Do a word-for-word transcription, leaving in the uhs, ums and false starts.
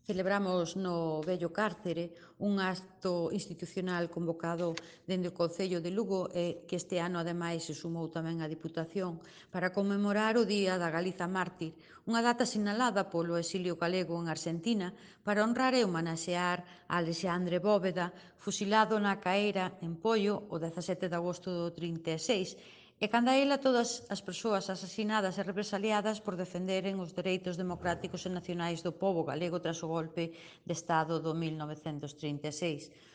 Celebramos no vello cárcere un acto institucional convocado dende o Concello de Lugo e que este ano ademais se sumou tamén a Diputación para conmemorar o Día da Galiza Mártir, unha data sinalada polo exilio galego en Argentina para honrar e homenaxear a Alexandre Bóveda, fusilado na Caeira en Poio o dezasete de agosto do trinta e seis, e canda ela todas as persoas asasinadas e represaliadas por defenderen os dereitos democráticos e nacionais do pobo galego tras o golpe de Estado do mil novecentos trinta e seis.